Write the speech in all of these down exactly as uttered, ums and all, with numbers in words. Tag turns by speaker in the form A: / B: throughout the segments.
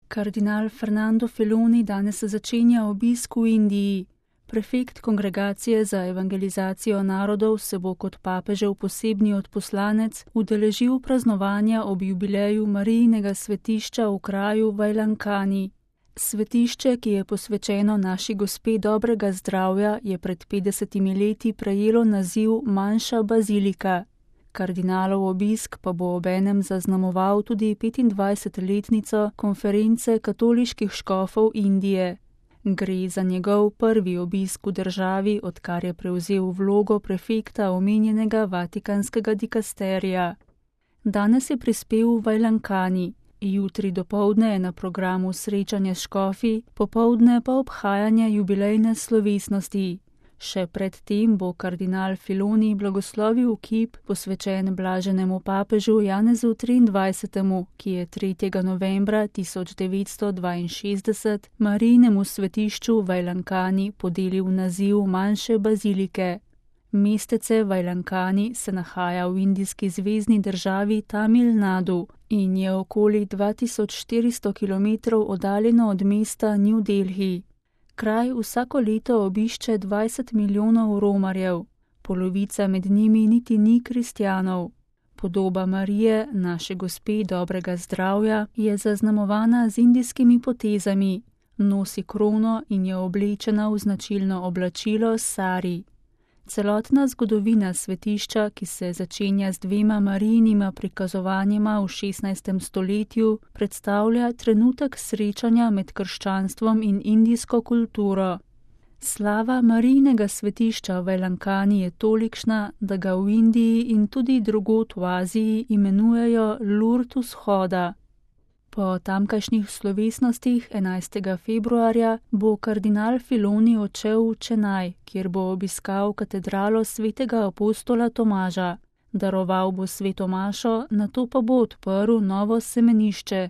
A: Kardinal Fernando Filoni danes začenja obisk v Indiji. Prefekt Kongregacije za evangelizacijo narodov se bo kot papežev posebni odposlanec udeležil praznovanja ob jubileju Marijinega svetišča v kraju Vajlankani. Svetišče, ki je posvečeno naši gospe dobrega zdravja, je pred petdesetimi leti prejelo naziv manjša bazilika. Kardinalov obisk pa bo obenem zaznamoval tudi petindvajsetletnico konference katoliških škofov Indije. Gre za njegov prvi obisk v državi, odkar je prevzel vlogo prefekta omenjenega vatikanskega dikasterija. Danes je prispel v Vajlankani, jutri dopoldne je na programu srečanje s škofi, popoldne pa obhajanje jubilejne slovesnosti. Še pred tem bo kardinal Filoni blagoslovil kip posvečen blaženemu papežu Janezu triindvajsetemu, ki je tretjega novembra tisoč devetsto dvainšestdeset Marijinemu svetišču v Vajlankani podelil naziv manjše bazilike. Mestece Vajlankani se nahaja v indijski zvezni državi Tamil Nadu in je okoli dva tisoč štiristo kilometrov oddaljeno od mesta New Delhi. Kraj vsako leto obišče dvajset milijonov romarjev, polovica med njimi niti ni kristjanov. Podoba Marije, naše gospe dobrega zdravja, je zaznamovana z indijskimi potezami, nosi krono in je oblečena v značilno oblačilo sari. Celotna zgodovina svetišča, ki se začenja z dvema Marijinima prikazovanjima v šestnajstem stoletju, predstavlja trenutek srečanja med krščanstvom in indijsko kulturo. Slava Marijinega svetišča v Vajlankani je tolikšna, da ga v Indiji in tudi drugod v Aziji imenujejo Lurd vzhoda. Po tamkajšnjih slovesnostih enajstega februarja bo kardinal Filoni odšel v Čenaj, kjer bo obiskal katedralo svetega apostola Tomaža. Daroval bo sveto mašo, nato pa bo odprl novo semenišče.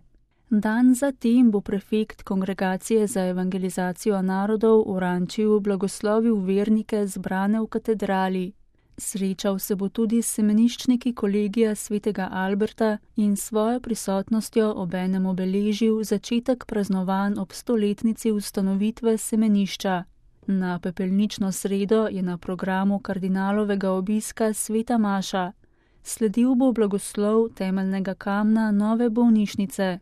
A: Dan zatem bo prefekt Kongregacije za evangelizacijo narodov v Rančiju blagoslovil vernike zbrane v katedrali. Srečal se bo tudi s semeniščniki kolegija svetega Alberta in svojo prisotnostjo obenem obeležil začetek praznovanj ob stoletnici ustanovitve semenišča. Na pepelnično sredo je na programu kardinalovega obiska sveta maša. Sledil bo blagoslov temeljnega kamna nove bolnišnice.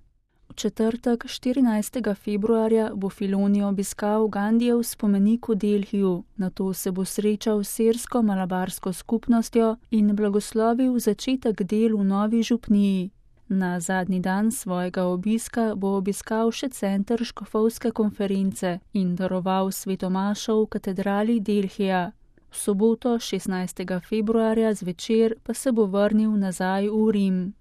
A: V četrtek, štirinajstega februarja, bo Filoni obiskal Gandijev spomenik v Delhiju, nato se bo srečal s sirsko-malabarsko skupnostjo in blagoslovil začetek del v novi župniji. Na zadnji dan svojega obiska bo obiskal še center škofovske konference in daroval sveto mašo v katedrali Delhija. V soboto, šestnajstega februarja zvečer, pa se bo vrnil nazaj v Rim.